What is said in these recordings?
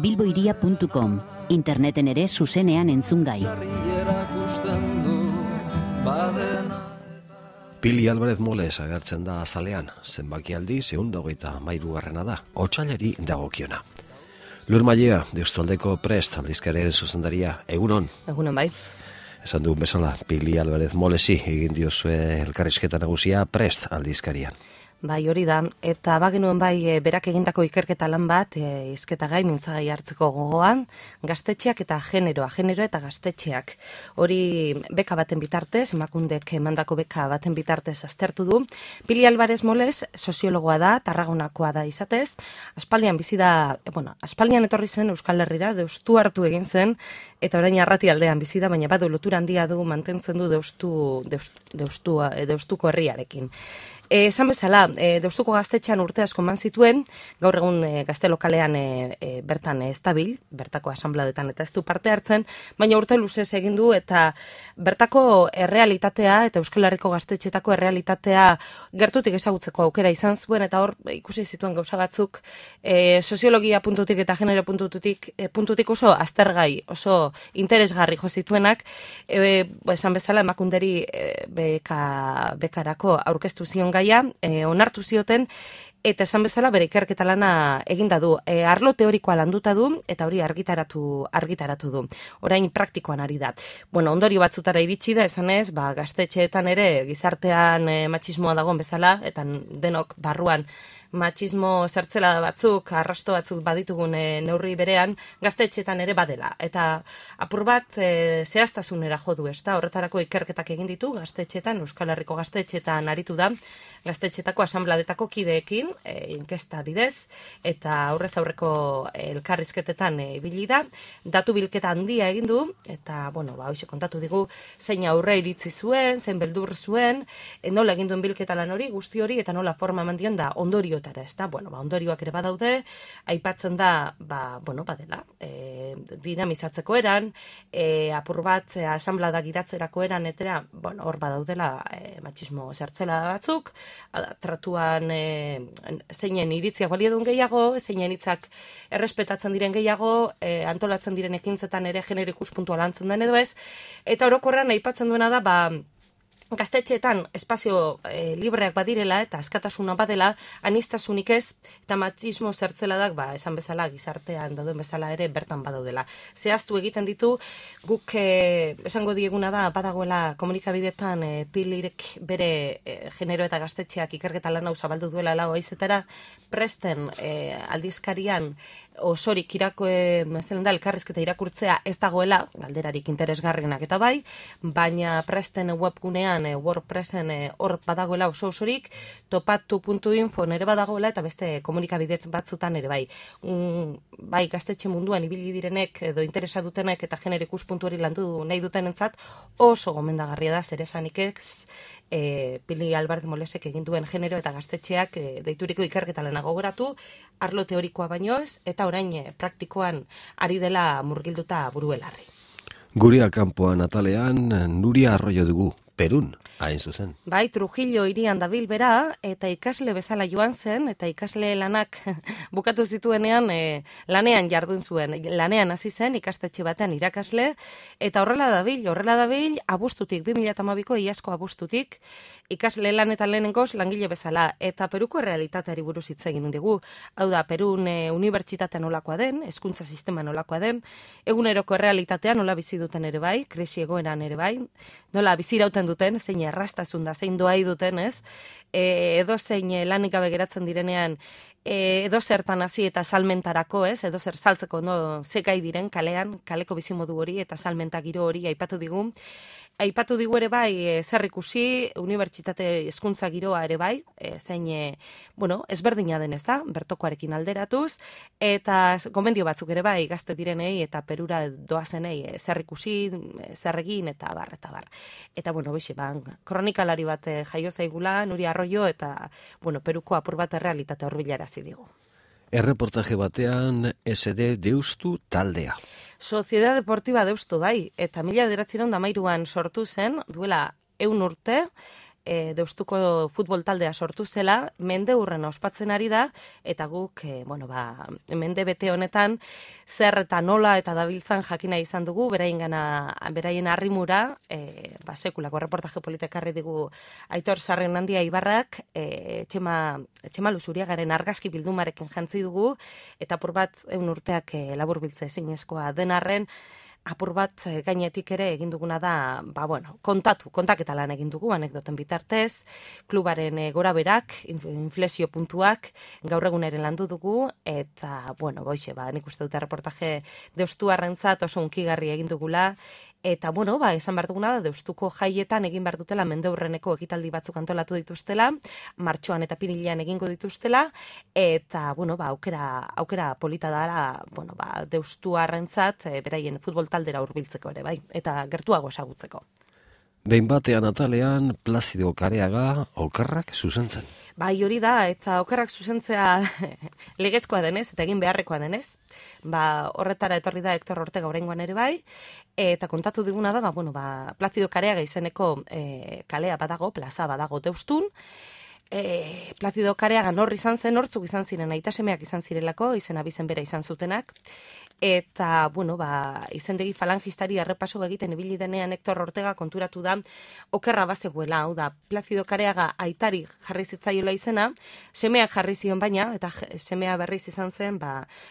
bilboiria.com, interneten ere zuzenean entzungai. Pili Alvarez Moles agertzen da azalean, zenbaki aldi 223 da, otsailari dagokiona. Lur Mailea, Deustualdeko Prest aldizkariaren zuzendaria, egunon? Egunon bai. Esan dugun bezala, Pili Alvarez Molesi egin diozue elkarrizketa nagusia Prest aldizkarian. Bai, hori da, eta bagenuen bai berak egindako ikerketa lan bat, hizketagai mintzagai hartzeko gogoan, gaztetxeak eta genero eta gaztetxeak. Hori beka baten bitartez, Emakundek emandako beka baten bitartez aztertu du. Pili Alvarez Moles soziologoa da, Tarragonakoa da izatez, aspaldian bizi da, aspaldian etorri zen Euskal Herrira, Deustu hartu egin zen, eta orain Arratialdean bizi da, baina badu lotura handia du mantentzen du Deustuko herriarekin. Esan bezala, Deustuko gaztetxean urte asko eman zituen, gaur egun gazte lokalean bertan estabil, bertako asanbladetan eta ez du parte hartzen, baina urte luzez egin du eta bertako errealitatea eta Euskal Herriko gaztetxetako errealitatea gertutik ezagutzeko aukera izan zuen, eta hor ikusi zituen gauza batzuk soziologia puntutik eta genero puntutik oso aztergai, oso interesgarri jo zituenak, esan bezala Emakunderi bekarako aurkeztu zion gaia, onartu zioten, eta esan bezala bere ikerketa lana eginda du. Arlo teorikoa landuta du, eta hori argitaratu du. Orain praktikoan ari da. Ondorio batzutara iritsi da, esanez, gaztetxeetan ere gizartean matxismoa dagoen bezala, eta denok barruan matxismo zertzela batzuk, arrasto batzuk baditugun neurri berean, gaztetxeetan ere badela. Eta apur bat zehaztasunera jo du, ezta? Horretarako ikerketak egin ditu, gaztetxeetan, Euskal Herriko gaztetxeetan aritu da, gaztetxetako asanbladetako kideekin, inkesta bidez, eta aurrez aurreko elkarrizketetan ibili da, datu bilketa handia egin du, eta, hoxe kontatu digu, zein aurre iritzi zuen, zein beldur zuen, nola egin duen bilketa lan hori, guzti hori, eta nola forma eman dion da ondoriotara, ez da? Ondorioak ere badaude, aipatzen da, badela, dinamizatzeko eran, apur bat, asanblada gidatzerako eran, etera, hor badaudela matxismo zertzela batzuk, tratuan zeinen iritziak balio duen gehiago, zeinen hitzak errespetatzen diren gehiago, antolatzen diren ekintzetan ere genero ikuspuntua lantzen den edo ez, eta orokorrean aipatzen duena da, gaztetxeetan espazio libreak badirela eta askatasuna badela, aniztasunik ez, eta matxismo zertzeladak, esan bezala, gizartean dauden bezala ere bertan badaudela. Zehaztu egiten ditu, guk esango dieguna da, badagoela komunikabideetan Pilirek bere genero eta gaztetxeak ikerketa lan hau zabaldu duela lau aizetara, Presten aldizkarian osorik elkarrizketa irakurtzea ez dagoela, galderarik interesgarrienak eta bai, baina Presten webgunean, WordPressen hor badagoela osorik, topatu.info nere badagoela eta beste komunikabidez batzutan ere bai. Bai, gaztetxe munduan ibili direnek edo interesa dutenek eta genero ikuspuntu hori landu nahi dutenentzat oso gomendagarria da, zer esanik ez, Pili Alvarez Molesek egin duen genero eta gaztetxeak deituriko ikerketa lana gogoratu, arlo teorikoa baino ez, eta orain praktikoan ari dela murgilduta buruelarri. Guria kanpoan atalean, Nuria Arroyo dugu, Perun, hain zuzen. Bai, Trujillo hirian dabil bera, eta ikasle bezala joan zen, eta ikasle lanak bukatu zituenean lanean jardun zuen. Lanean hasi zen, ikastetxe batean irakasle, eta horrela dabil, abuztutik, 2012ko iazko abuztutik, ikasle lanetan lehenengoz langile bezala, eta Peruko realitateari buruz hitz egin dugu. Hau da, Perun unibertsitatea nolakoa den, hezkuntza sistema nolakoa den, eguneroko realitatea nola bizi duten ere bai, krisi egoeran ere bai, nola bizirauten duten, zein erraztasun da, zein doai duten, ez? Edo zein lanik gabe geratzen direnean, edo zertan hasi eta salmentarako, ez? Edo zer saltzeko, ze gai diren kalean, kaleko bizimodu hori eta salmenta giro hori aipatu digu. Aipatu digu ere bai, zer ikusi, unibertsitate hezkuntza giroa ere bai, zein, ezberdina den ez da, bertokoarekin alderatuz, eta gomendio batzuk ere bai, gazte direnei eta Perura doazenei zer ikusi, zer egin, eta bar. Eta, kronikalari bat jaio zaigula, Nuria Arroyo, eta, Peruko apur bat errealitate horbilarazi digu. Erreportaje batean SD Deustu taldea. Sociedad Deportiva Deustu, bai, eta 1913an sortu zen, duela 100 urte, Deustuko futbol taldea sortu zela, mendeurrena ospatzen ari da, eta guk, mende bete honetan, zer eta nola eta dabiltzan jakina izan dugu, beraien arrimura, sekulako reportaje politekarri digu Aitor Sarrenandia Ibarrak, Txema Luzuriagaren argazki bildumarekin jantzi dugu, eta apur bat egun urteak laburbiltze ezinezkoa denarren, apur bat gainetik ere egin duguna da, kontaketa lan egin dugu, anekdoten bitartez, klubaren goraberak, inflexio puntuak, gaur eguneren landu dugu, eta, nik uste dute reportaje Deustuarrentzat oso unkigarri egin dugula, eta, esan behar duguna da, Deustuko jaietan egin behar dutela mendeurreneko ekitaldi batzuk antolatu dituztela, martxoan eta pirilean egingo dituztela, eta, aukera polita dara, Deustuarrentzat, beraien futbol taldera hurbiltzeko ere, bai, eta gertuago esagutzeko. Behin batean atalean, Plazido Kareaga okerrak zuzentzen. Bai, hori da, eta okerrak zuzentzea legezkoa denez, eta egin beharrekoa denez. Horretara etorri da Hector Ortega oraingoan ere bai, eta kontatu diguna da, Plazido Kareaga izeneko kalea badago, plaza badago Deustun. Plazido Kareaga norri izan zen, nortzuk izan ziren, aitasemeak izan zirelako, izen abizen bera izan zutenak. Eta, izendegi falangistari arrepaso egiten ibili denean Hector Ortega konturatu da okerra bazegoela, hau da, Plazido Kareaga aitari jarri zitzaiola izena, semeak jarri zion baina, eta semea berriz izan zen,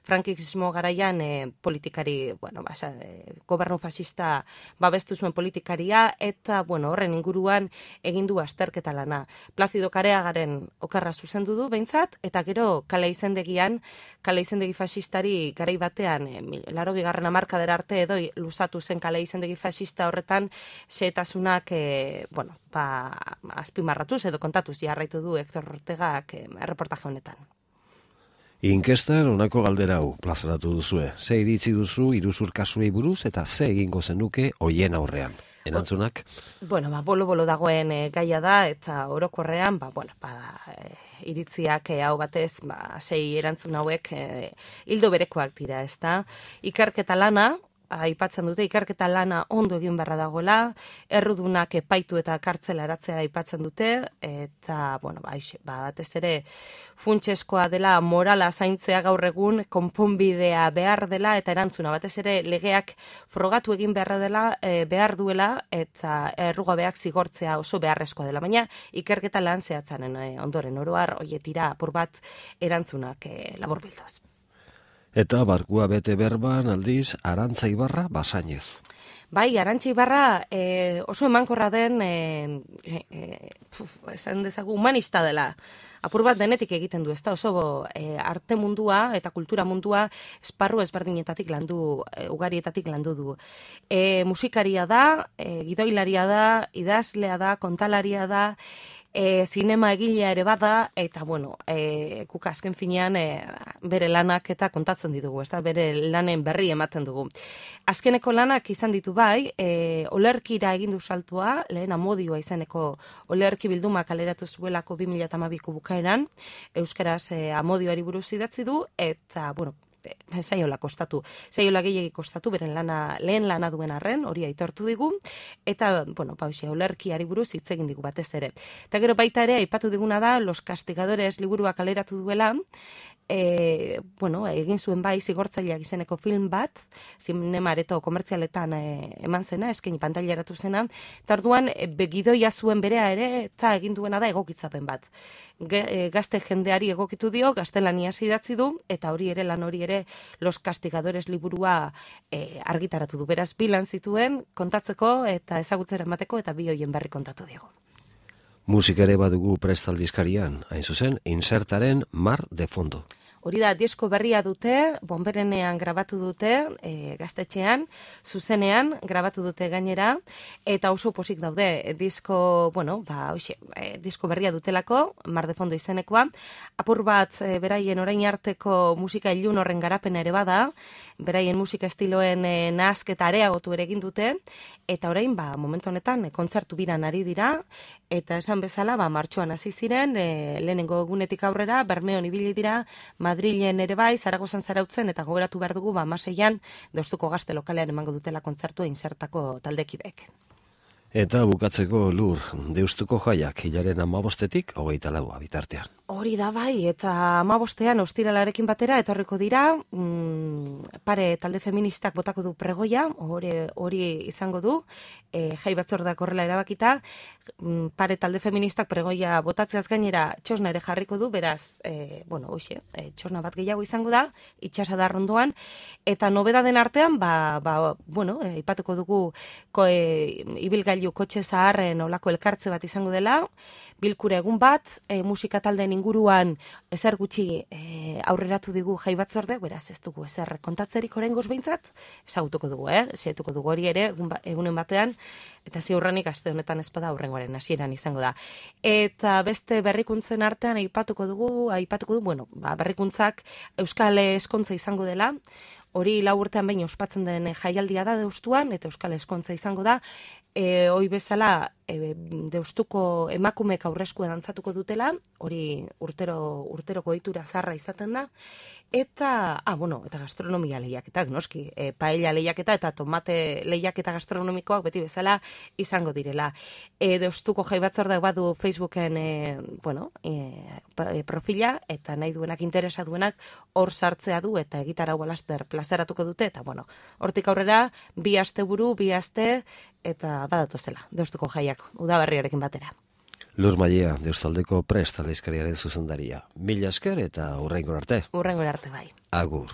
frankismo garaian politikari, gobernu fascista babestu zuen politikaria, eta, horren inguruan egindu azterketa lana. Plazido Kareagaren okerra zuzendu du, behintzat, eta gero kale izendegi fascistari garai batean 80. hamarkadera arte edo luzatu zen kale izendegi fascista horretan xehetasunak azpimarratuz edo kontatuz jarraitu du Hector Ortegak reportaje honetan. Inkestan honako galdera hau plazaratu duzue. Ze iritzi duzu iruzur kasuei buruz eta ze egingo zenuke hoien aurrean? Erantzunak? Bolo dagoen gaia da, eta orokorrean, iritziak hau batez, sei erantzun hauek hildo berekoak dira, ezta? Ikerketa lana, aipatzen dute, ikerketa lana ondo egin beharra dagoela, errudunak epaitu eta kartzela eratzea aipatzen dute, eta, batez ere, funtseskoa dela morala zaintzea gaur egun, konponbidea behar dela, eta erantzuna, batez ere, legeak frogatu egin behar duela, eta errugabeak zigortzea oso beharrezkoa dela, baina ikerketa lan zehatzaren ondoren oroar, oietira, apur bat erantzunak laburbilduz. Eta barkua bete berban aldiz Arantza Ibarra Basainez. Bai, Arantza Ibarra oso emankorra den, esan dezagu, humanista dela. Apur bat denetik egiten du, ez da oso arte mundua eta kultura mundua esparru ezberdinetatik ugarietatik landu du. Musikaria da, gidoilaria da, idazlea da, kontalaria da, zinema egilea ere bada, eta guk azken finean bere lanak eta kontatzen ditugu, bere lanen berri ematen dugu. Azkeneko lanak izan ditu bai, olerkira egin du saltua, lehen Amodioa izeneko olerki bilduma kaleratu zuelako 2012ko bukaeran, euskaraz Amodioari buruz idatzi du, eta, zaiola gehiegi kostatu, beren lehen lana duen arren, hori aitortu digu, eta, olerkiari buruz hitz egin digu batez ere. Eta gero baita ere, aipatu diguna da, Los Castigadores liburua kaleratu duela, egin zuen bai zigortzaileak izeneko film bat, zinema areto komertzialetan eman zena, eskaini pantailaratu zena, eta orduan gidoia zuen berea ere, eta egin duena da egokitzapen bat. Gazte jendeari egokitu dio, gaztelaniaz idatzi du, eta lan hori ere Los Castigadores liburua argitaratu du. Beraz, bi lan zituen kontatzeko eta ezagutzera emateko, eta bi hoien berri kontatu diego. Musika ere badugu prestaldizkarian, hain zuzen, Insertaren Mar de Fondo. Hori da, disko berria dute, Bonberenean grabatu dute, gaztetxean, zuzenean grabatu dute gainera, eta oso posik daude, disko berria dutelako, Mar de Fondo izenekoa, apur bat beraien orain arteko musika ilun horren garapena ere bada, beraien musika estiloen nahasketa areagotu ere egin dute, eta orain, momentu honetan, kontzertu biran ari dira, eta esan bezala, martxoan hasi ziren, lehenengo egunetik aurrera, Bermeon ibili dira, Madrilen ere bai, Zaragozan zarautzen, eta gogoratu behar dugu, 16an, Deustuko Gazte lokalean emango dutela kontzertua Insertako taldekidek. Eta bukatzeko Lur, Deustuko jaiak hilaren 15-etik 24 bitartean. Hori da bai, eta 15ean ostiralarekin batera etorriko dira, pare talde feministak botako du pregoia, hori izango du, jai batzordeak horrela erabakita, pare talde feministak pregoia botatzeaz gainera txosna ere jarriko du, beraz, txosna bat gehiago izango da, itxasadar ondoan, eta nobedaden artean, ipatuko dugu ibilgailu kotxe zaharren olako elkartze bat izango dela, bilkura egun bat, musika taldeen inguruan ezer gutxi aurreratu digu jai batzorde, beraz ez dugu ezer kontatzerik oraingoz behintzat, ezagutuko dugu, xehetuko dugu hori ere egunen batean, eta ziurrenik aste honetan ezpada aurrengoaren hasieran izango da. Eta beste berrikuntzen artean aipatuko du, berrikuntzak Euskal Eskontza izango dela, hori 4 urtean behin ospatzen den jaialdia da Deustuan, eta Euskal Eskontza izango da, hoi bezala Deustuko emakumeek aurreskue dantzatuko dutela, hori urteroko ohitura zarra izaten da, eta gastronomia lehiaketak, noski, paella lehiaketa eta tomate lehiaketa gastronomikoak beti bezala izango direla. Deustuko jai batzordeak badu Facebooken profila, eta nahi duenak, interesa duenak, hor sartzea du, eta egitarau laster plazaratuko dute, eta hortik aurrera, 2 asteburu, 2 aste, eta badatozela, Deustuko jaiak, udaberriarekin batera. Lur Maiea, Deustaldeko Prest aldizkariaren zuzendaria. Mila esker eta hurrengora arte. Hurrengora arte bai. Agur.